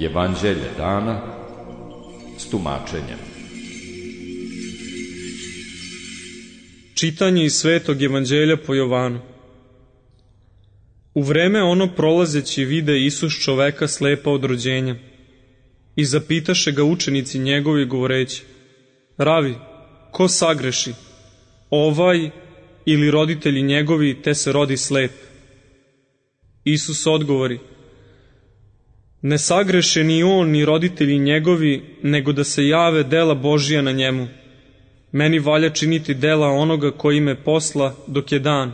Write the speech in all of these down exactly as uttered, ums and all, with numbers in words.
Evanđelje dana s tumačenjem. Čitanje iz Svetog evanđelja po Jovanu. U vreme ono prolazeći vide Isus čoveka slepa od rođenja i zapitaše ga učenici njegovi govoreći: Ravi, ko sagreši, ovaj ili roditelji njegovi, te se rodi slep? Isus odgovori: Ne sagreše ni on ni roditelji njegovi, nego da se jave dela Božija na njemu. Meni valja činiti dela onoga koji me posla dok je dan.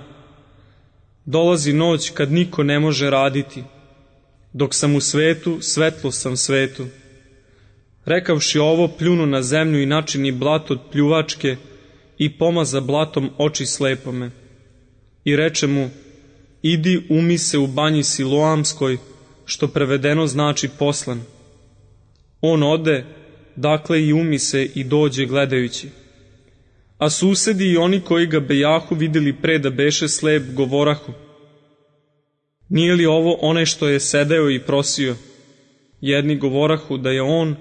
Dolazi noć kad niko ne može raditi. Dok sam u svetu, svetlo sam svetu. Rekavši ovo, pljunu na zemlju i načini blato od pljuvačke i pomaza blatom oči slepome. I reče mu: Idi umi se u banji Siloamskoj, što prevedeno znači poslan. On ode, dakle i umi se i dođe gledajući. A susedi i oni koji ga bejahu videli pre da beše slep, govorahu: Nije li ovo onaj što je sedeo i prosio? Jedni govorahu da je on,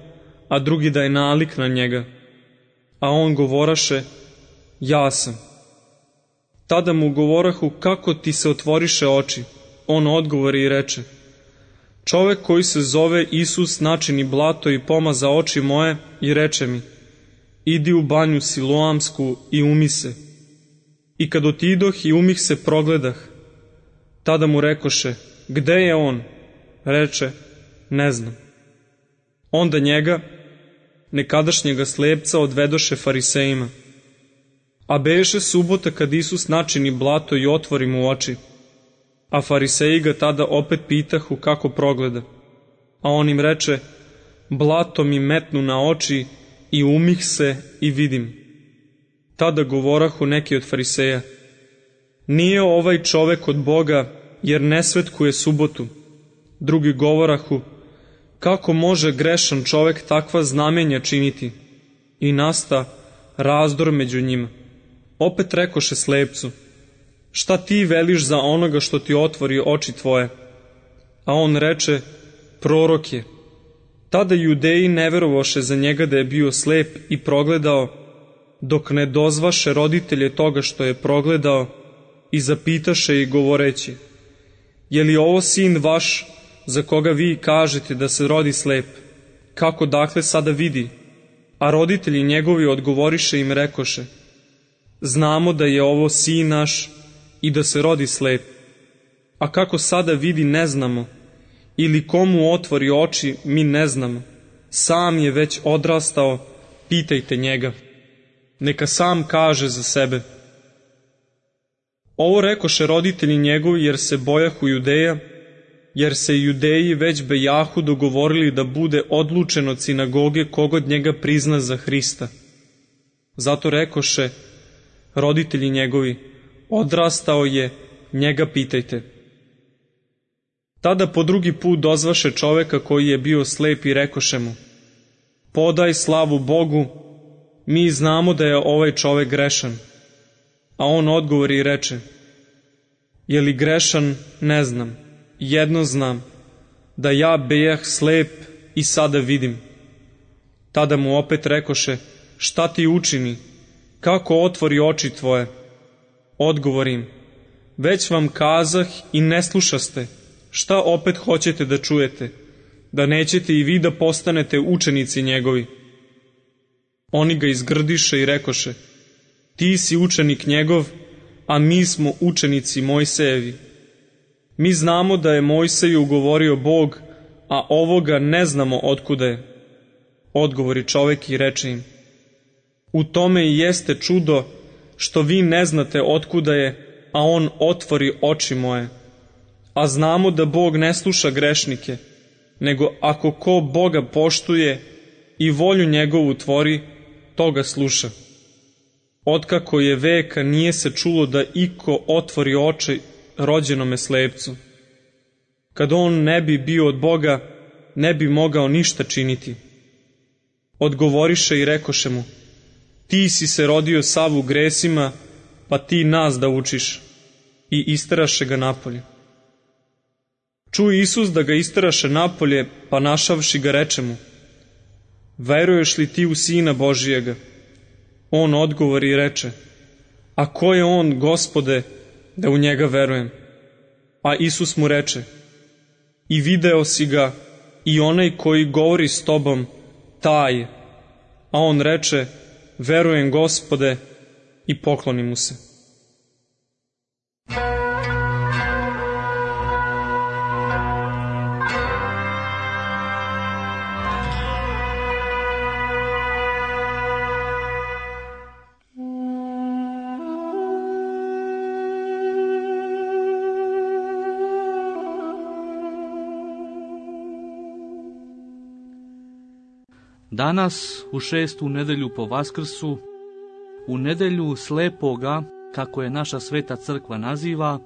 a drugi da je nalik na njega. A on govoraše: Ja sam. Tada mu govorahu: Kako ti se otvoriše oči? On odgovori i reče: Čovek koji se zove Isus načini blato i pomaza oči moje i reče mi: Idi u banju Siloamsku i umi se. I kad otidoh i umih se, progledah. Tada mu rekoše: Gde je on? Reče: Ne znam. Onda njega, nekadašnjega slepca, odvedoše farisejima. A beše subota kad Isus načini blato i otvori mu oči. A fariseji ga tada opet pitahu kako progleda. A on im reče: Blato mi metnu na oči i umih se i vidim. Tada govorahu neki od fariseja: Nije ovaj čovek od Boga, jer ne svetkuje subotu. Drugi govorahu: Kako može grešan čovek takva znamenja činiti? I nasta razdor među njima. Opet rekoše slepcu: Šta ti veliš za onoga što ti otvori oči tvoje? A on reče: Prorok je. Tada Judeji ne verovaše za njega da je bio slep i progledao, dok ne dozvaše roditelje toga što je progledao i zapitaše i govoreći: Je li ovo sin vaš, za koga vi kažete da se rodi slep? Kako dakle sada vidi? A roditelji njegovi odgovoriše im rekoše: Znamo da je ovo sin naš i da se rodi slep. A kako sada vidi ne znamo, ili komu otvori oči mi ne znamo. Sam je već odrastao, pitajte njega. Neka sam kaže za sebe. Ovo rekoše roditelji njegovi jer se bojahu Judeja, jer se Judeji već bejahu dogovorili da bude odlučen od sinagoge kogod njega prizna za Hrista. Zato rekoše roditelji njegovi: Odrastao je, njega pitajte. Tada po drugi put dozvaše čoveka koji je bio slep i rekoše mu: Podaj slavu Bogu, mi znamo da je ovaj čovek grešan. A on odgovori i reče: Je li grešan, ne znam. Jedno znam, da ja bejah slep i sada vidim. Tada mu opet rekoše: Šta ti učini? Kako otvori oči tvoje? Odgovorim: Već vam kazah i ne slušaste. Šta opet hoćete da čujete? Da nećete i vi da postanete učenici njegovi? Oni ga izgrdiše i rekoše: Ti si učenik njegov, a mi smo učenici Mojsejevi. Mi znamo da je Mojseju govorio Bog, a ovoga ne znamo otkuda je. Odgovori čovek i reče im: U tome i jeste čudo što vi ne znate otkuda je, a on otvori oči moje. A znamo da Bog ne sluša grešnike, nego ako ko Boga poštuje i volju njegovu tvori, toga sluša. Otkako je veka nije se čulo da iko otvori oči rođenome slepcu. Kad on ne bi bio od Boga, ne bi mogao ništa činiti. Odgovoriše i rekoše mu: Ti si se rodio sav u gresima, pa ti nas da učiš. i isteraše ga napolje. Čuo Isus da ga isteraše napolje, pa našavši ga reče mu: veruješ li ti u Sina Božijega? On odgovori i reče: a ko je on, Gospode, da u njega verujem? A Isus mu reče: i video si ga, i onaj koji govori s tobom, taj. A on reče: verujem, Gospode, i pokloni mu se. Danas, u šestu nedelju po Vaskrsu, u nedelju slepoga, kako je naša sveta crkva naziva,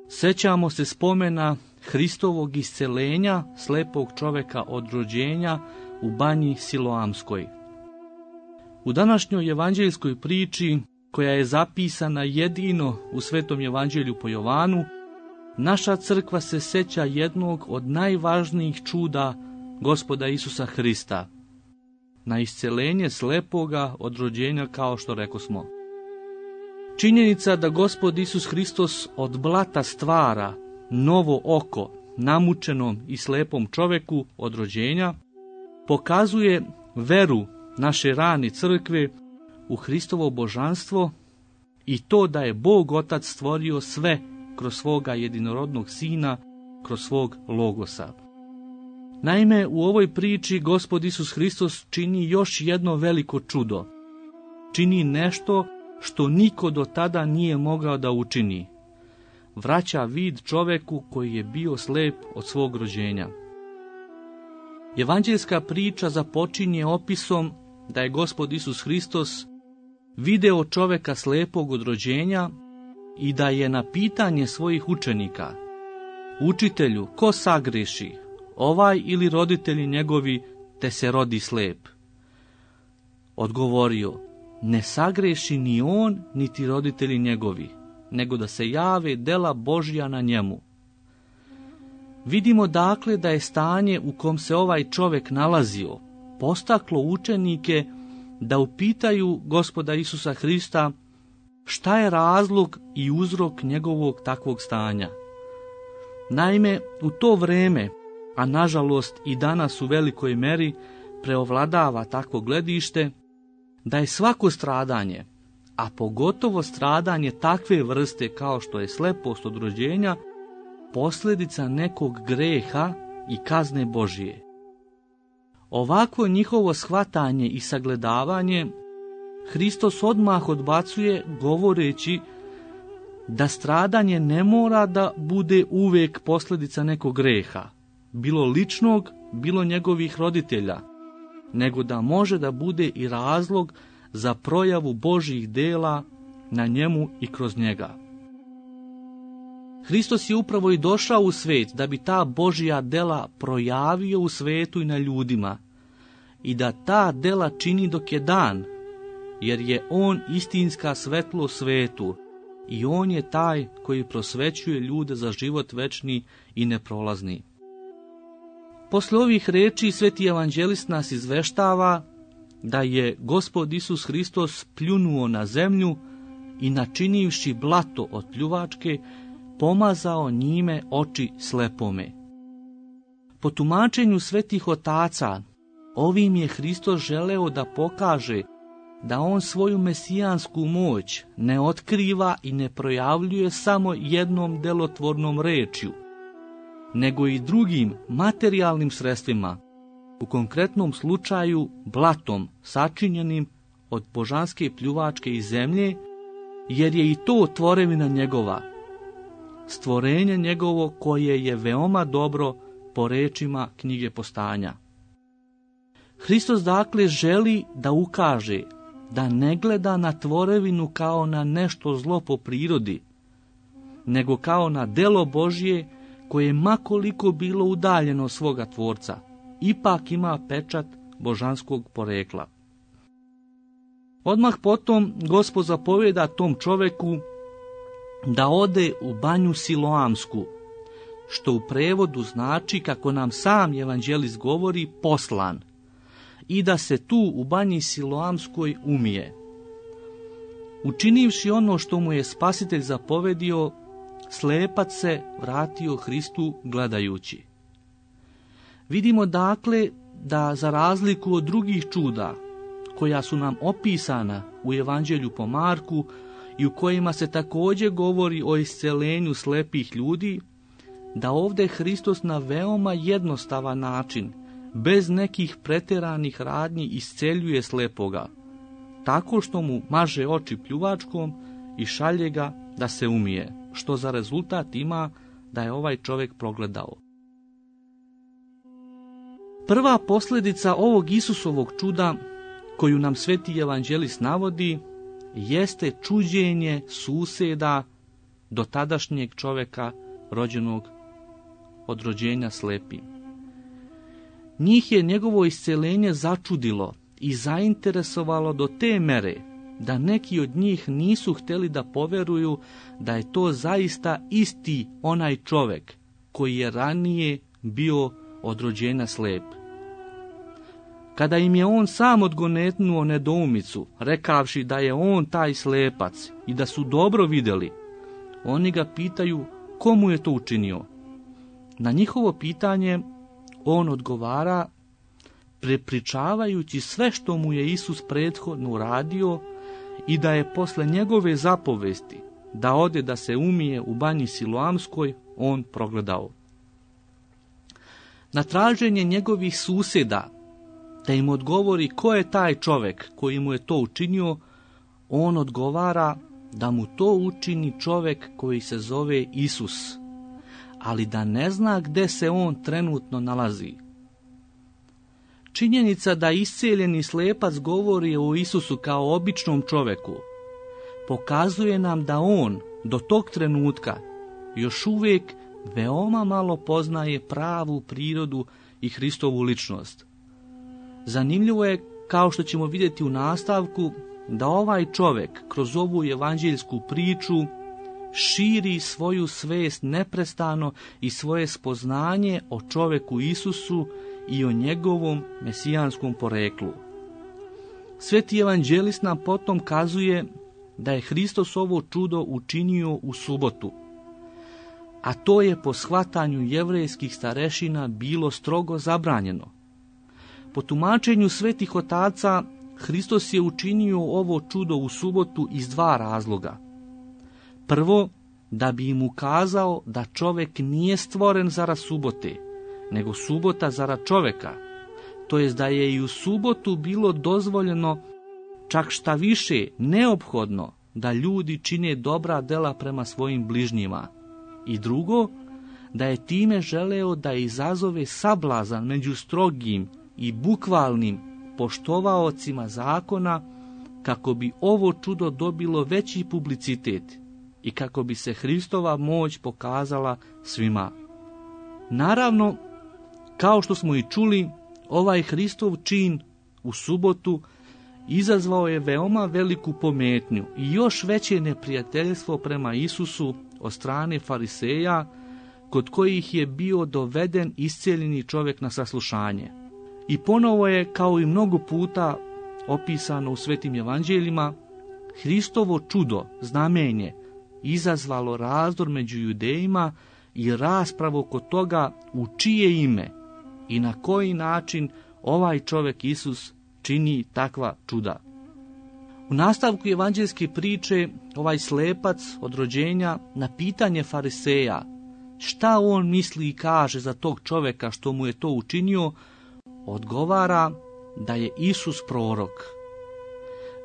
sećamo se spomena Hristovog iscelenja slepog čoveka od rođenja u banji Siloamskoj. U današnjoj evanđeljskoj priči, koja je zapisana jedino u Svetom evanđelju po Jovanu, naša crkva se seća jednog od najvažnijih čuda Gospoda Isusa Hrista, na iscelenje slepoga od rođenja, kao što rekosmo. Činjenica da Gospod Isus Hristos od blata stvara novo oko namučenom i slepom čoveku od rođenja pokazuje veru naše rane crkve u Hristovo božanstvo i to da je Bog Otac stvorio sve kroz svoga jedinorodnog Sina, kroz svog Logosa. Naime, u ovoj priči Gospod Isus Hristos čini još jedno veliko čudo. Čini nešto što niko do tada nije mogao da učini. Vraća vid čoveku koji je bio slep od svog rođenja. Evanđeljska priča započinje opisom da je Gospod Isus Hristos video čoveka slepog od rođenja i da je na pitanje svojih učenika: učitelju, ko sagreši, ovaj ili roditelji njegovi, te se rodi slep? Odgovorio: ne sagreši ni on, niti roditelji njegovi, nego da se jave dela Božja na njemu. Vidimo dakle da je stanje u kom se ovaj čovjek nalazio postaklo učenike da upitaju Gospoda Isusa Hrista šta je razlog i uzrok njegovog takvog stanja. Naime, u to vreme, a nažalost i danas u velikoj meri, preovladava takvo gledište da je svako stradanje, a pogotovo stradanje takve vrste kao što je slepost od rođenja, posljedica nekog greha i kazne Božije. Ovako njihovo shvatanje i sagledavanje Hristos odmah odbacuje, govoreći da stradanje ne mora da bude uvijek posljedica nekog greha, bilo ličnog, bilo njegovih roditelja, nego da može da bude i razlog za projavu Božjih dela na njemu i kroz njega. Hristos je upravo i došao u svet da bi ta Božja dela projavio u svetu i na ljudima i da ta dela čini dok je dan, jer je on istinska svetlo svetu i on je taj koji prosvećuje ljude za život večni i neprolazni. Posle ovih reči sveti evanđelist nas izveštava da je Gospod Isus Hristos pljunuo na zemlju i načinivši blato od pljuvačke, pomazao njime oči slepome. Po tumačenju svetih otaca, ovim je Hristos želeo da pokaže da on svoju mesijansku moć ne otkriva i ne projavljuje samo jednom delotvornom rečju, nego i drugim materijalnim sredstvima, u konkretnom slučaju blatom sačinjenim od božanske pljuvačke i zemlje, jer je i to tvorevina njegova, stvorenje njegovo koje je veoma dobro po rečima knjige Postanja. Hristos dakle želi da ukaže da ne gleda na tvorevinu kao na nešto zlo po prirodi, nego kao na delo Božje koje makoliko bilo udaljeno svoga tvorca, ipak ima pečat božanskog porekla. Odmah potom Gospod zapovjeda tom čoveku da ode u banju Siloamsku, što u prevodu znači, kako nam sam evanđelist govori, poslan, i da se tu u banji Siloamskoj umije. Učinivši ono što mu je Spasitelj zapovedio, slepac se vratio Hristu gledajući. Vidimo dakle da za razliku od drugih čuda, koja su nam opisana u Evanđelju po Marku i u kojima se također govori o isceljenju slepih ljudi, da ovdje Hristos na veoma jednostavan način, bez nekih pretjeranih radnji, isceljuje slepoga, tako što mu maže oči pljuvačkom i šalje ga da se umije, što za rezultat ima da je ovaj čovjek progledao. Prva posljedica ovog Isusovog čuda, koju nam sveti evanđelist navodi, jeste čuđenje susjeda do tadašnjeg čovjeka rođenog od rođenja slepim. Njih je njegovo isceljenje začudilo i zainteresovalo do te mere da neki od njih nisu htjeli da poveruju da je to zaista isti onaj čovjek koji je ranije bio od rođenja slep. Kada im je on sam odgonetnuo nedoumicu, rekavši da je on taj slepac i da su dobro vidjeli, oni ga pitaju komu je to učinio. Na njihovo pitanje on odgovara prepričavajući sve što mu je Isus prethodno uradio i da je posle njegove zapovesti da ode da se umije u banji Siloamskoj on progledao. Na traženje njegovih susjeda da im odgovori ko je taj čovjek koji mu je to učinio, on odgovara da mu to učini čovjek koji se zove Isus, ali da ne zna gde se on trenutno nalazi. Činjenica da isceljeni slepac govori o Isusu kao običnom čovjeku pokazuje nam da on do tog trenutka još uvijek veoma malo poznaje pravu prirodu i Hristovu ličnost. Zanimljivo je, kao što ćemo vidjeti u nastavku, da ovaj čovjek kroz ovu evanđeljsku priču širi svoju svest neprestano i svoje spoznanje o čovjeku Isusu i o njegovom mesijanskom poreklu. Sveti evanđelist nam potom kazuje da je Hristos ovo čudo učinio u subotu, a to je po shvatanju jevrejskih starešina bilo strogo zabranjeno. Po tumačenju svetih otaca, Hristos je učinio ovo čudo u subotu iz dva razloga. Prvo, da bi im ukazao da čovjek nije stvoren zarad subote, nego subota zarad čovjeka, to jest da je i u subotu bilo dozvoljeno, čak šta više neophodno, da ljudi čine dobra dela prema svojim bližnjima. I drugo, da je time želeo da izazove sablazan među strogim i bukvalnim poštovaocima zakona, kako bi ovo čudo dobilo veći publicitet i kako bi se Hristova moć pokazala svima. Naravno, kao što smo i čuli, ovaj Hristov čin u subotu izazvao je veoma veliku pometnju i još veće neprijateljstvo prema Isusu od strane fariseja, kod kojih je bio doveden iscijeljeni čovjek na saslušanje. I ponovo je, kao i mnogo puta opisano u svetim evanđeljima, Hristovo čudo, znamenje, izazvalo razdor među Judejima i raspravu oko toga u čije ime i na koji način ovaj čovjek Isus čini takva čuda. U nastavku evanđeljske priče ovaj slepac od rođenja na pitanje fariseja šta on misli i kaže za tog čovjeka što mu je to učinio, odgovara da je Isus prorok.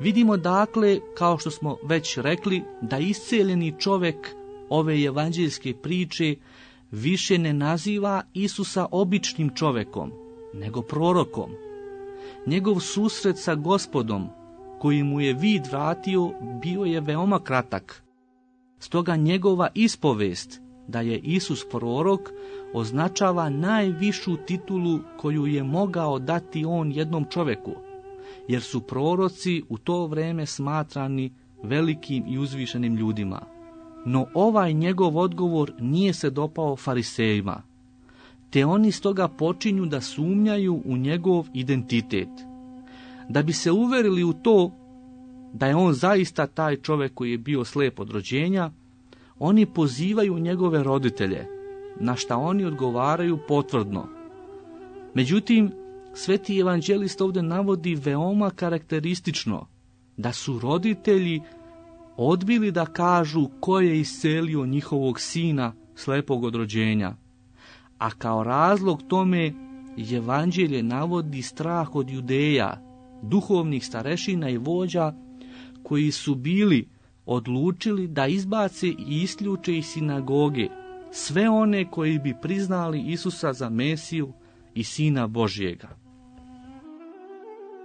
Vidimo dakle, kao što smo već rekli, da isceljeni čovjek ove evanđeljske priče više ne naziva Isusa običnim čovjekom, nego prorokom. Njegov susret sa Gospodom, koji mu je vid vratio, bio je veoma kratak. Stoga njegova ispovest da je Isus prorok označava najvišu titulu koju je mogao dati on jednom čovjeku, jer su proroci u to vrijeme smatrani velikim i uzvišenim ljudima. No ovaj njegov odgovor nije se dopao farisejima, te oni stoga počinju da sumnjaju u njegov identitet. Da bi se uverili u to da je on zaista taj čovjek koji je bio slijep od rođenja, oni pozivaju njegove roditelje, na šta oni odgovaraju potvrdno. Međutim, sveti evanđelist ovdje navodi veoma karakteristično da su roditelji odbili da kažu ko je iscelio njihovog sina slepog od rođenja, a kao razlog tome evanđelje navodi strah od Judeja, duhovnih starešina i vođa koji su bili odlučili da izbace i isključe iz sinagoge sve one koji bi priznali Isusa za Mesiju i Sina Božjega.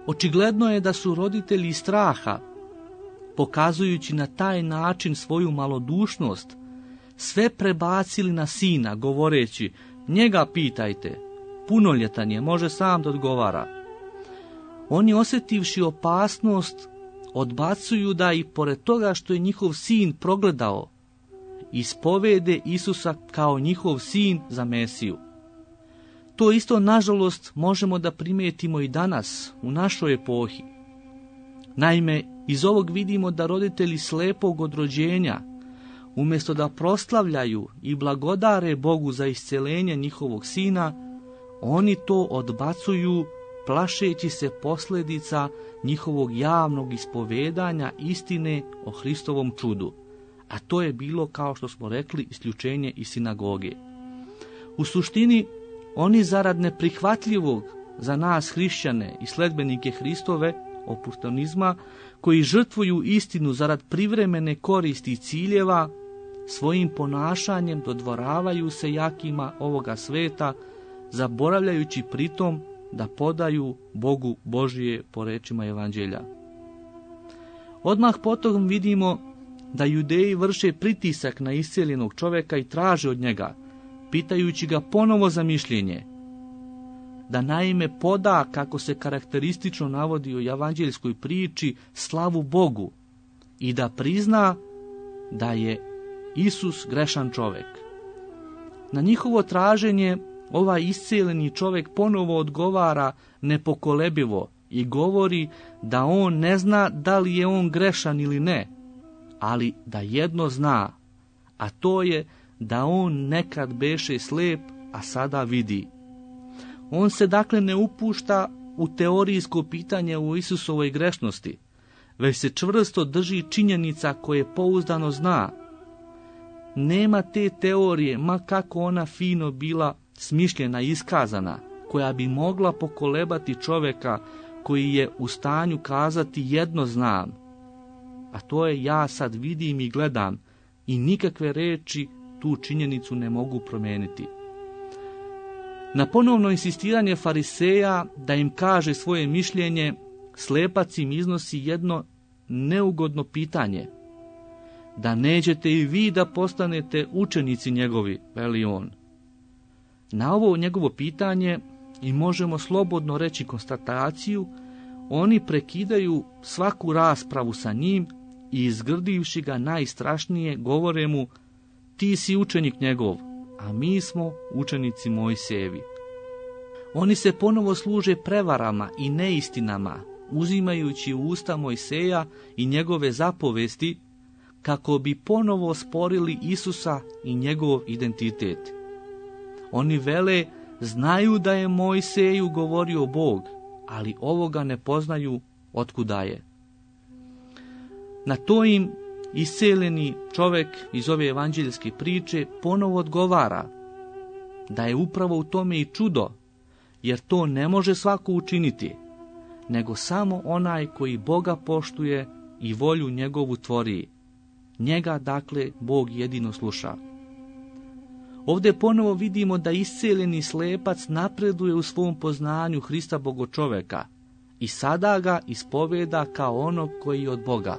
Očigledno je da su roditelji straha, pokazujući na taj način svoju malodušnost, sve prebacili na sina, govoreći: njega pitajte, punoljetan je, može sam da odgovara. Oni, osjetivši opasnost, odbacuju da i pored toga što je njihov sin progledao, ispovede Isusa kao njihov sin za Mesiju. To isto, nažalost, možemo da primijetimo i danas, u našoj epohi. Naime, iz ovog vidimo da roditelji slepog od rođenja, umjesto da proslavljaju i blagodare Bogu za isceljenje njihovog sina, oni to odbacuju, plašeći se posljedica njihovog javnog ispovedanja istine o Hristovom čudu, a to je bilo, kao što smo rekli, isključenje iz sinagoge. U suštini, oni zarad neprihvatljivog za nas hrišćane i sledbenike Hristove oportunizma, koji žrtvuju istinu zarad privremene koristi i ciljeva, svojim ponašanjem dodvoravaju se jakima ovoga sveta, zaboravljajući pritom da podaju Bogu Božije po rečima evanđelja. Odmah potom vidimo da Judeji vrše pritisak na isceljenog čovjeka i traže od njega, pitajući ga ponovo za mišljenje, da naime poda, kako se karakteristično navodi u evanđeljskoj priči, slavu Bogu i da prizna da je Isus grešan čovjek. Na njihovo traženje ovaj isceljeni čovjek ponovo odgovara nepokolebivo i govori da on ne zna da li je on grešan ili ne, ali da jedno zna, a to je da on nekad beše slijep, a sada vidi. On se dakle ne upušta u teorijsko pitanje o Isusovoj grešnosti, već se čvrsto drži činjenica koje pouzdano zna. Nema te teorije, ma kako ona fino bila smišljena i iskazana, koja bi mogla pokolebati čovjeka koji je u stanju kazati jedno znam, a to je ja sad vidim i gledam, i nikakve reči tu činjenicu ne mogu promijeniti. Na ponovno insistiranje fariseja da im kaže svoje mišljenje, slepac im iznosi jedno neugodno pitanje: da nećete i vi da postanete učenici njegovi, veli on. Na ovo njegovo pitanje, i možemo slobodno reći konstataciju, oni prekidaju svaku raspravu sa njim i izgrdivši ga najstrašnije govore mu: ti si učenik njegov, a mi smo učenici Mojsijevi. Oni se ponovo služe prevarama i neistinama, uzimajući u usta Mojseja i njegove zapovesti, kako bi ponovo sporili Isusa i njegov identitet. Oni vele, znaju da je Mojseju govorio Bog, ali ovoga ne poznaju otkuda je. Na to im isceljeni čovjek iz ove evanđeljske priče ponovo odgovara da je upravo u tome i čudo, jer to ne može svako učiniti, nego samo onaj koji Boga poštuje i volju njegovu tvori. Njega, dakle, Bog jedino sluša. Ovdje ponovo vidimo da isceljeni slepac napreduje u svom poznanju Hrista Bogočoveka i sada ga ispoveda kao onog koji je od Boga.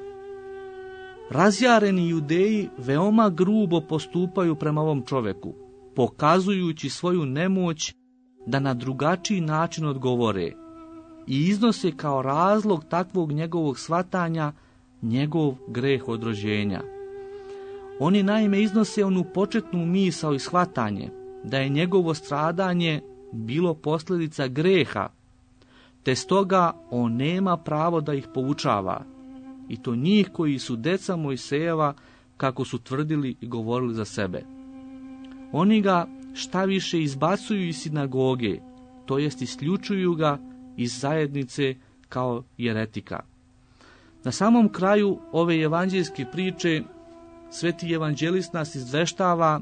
Razjareni Judeji veoma grubo postupaju prema ovom čovjeku, pokazujući svoju nemoć da na drugačiji način odgovore, i iznose kao razlog takvog njegovog shvatanja njegov greh od rođenja. Oni naime iznose onu početnu misao i shvatanje da je njegovo stradanje bilo posljedica greha, te stoga on nema pravo da ih poučava, i to njih koji su deca Mojsejeva, kako su tvrdili i govorili za sebe. Oni ga šta više izbacuju iz sinagoge, to jest isključuju ga iz zajednice kao jeretika. Na samom kraju ove evanđeljske priče sveti evanđelist nas izveštava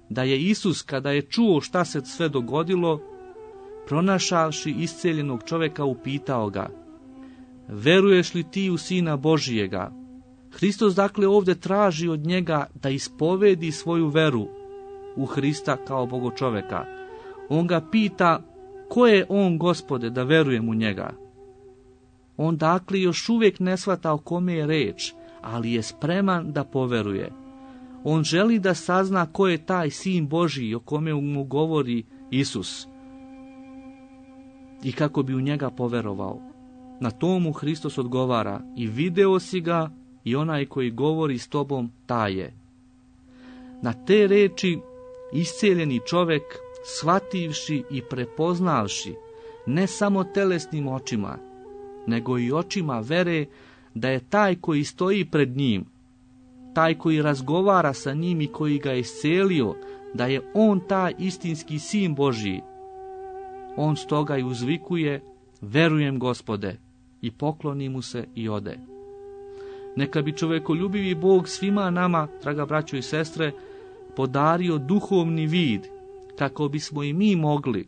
da je Isus, kada je čuo šta se sve dogodilo, pronašavši isceljenog čovjeka, upitao ga: veruješ li ti u Sina Božijega? Hristos dakle ovdje traži od njega da ispovedi svoju veru u Hrista kao Bogočoveka. On ga pita: ko je on, Gospode, da verujem u njega? On dakle još uvijek ne shvata o kome je reč, ali je spreman da poveruje. On želi da sazna ko je taj Sin Božiji o kome mu govori Isus i kako bi u njega poverovao. Na tomu Hristos odgovara: i video si ga, i onaj koji govori s tobom, taj je. Na te reči isceljeni čovjek, shvativši i prepoznavši, ne samo telesnim očima, nego i očima vere, da je taj koji stoji pred njim, taj koji razgovara sa njim i koji ga je iscelio, da je on taj istinski Sin Božji. On stoga i uzvikuje: verujem, Gospode, i pokloni mu se i ode. Neka bi čovekoljubivi Bog svima nama, draga braćo i sestre, podario duhovni vid, kako bismo i mi mogli,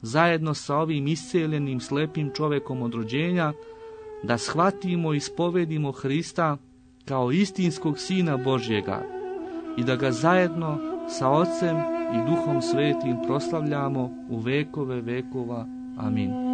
zajedno sa ovim isceljenim slepim čovekom od rođenja, da shvatimo i ispovedimo Hrista kao istinskog Sina Božjega i da ga zajedno sa Ocem i Duhom Svetim proslavljamo u vekove vekova. Amin.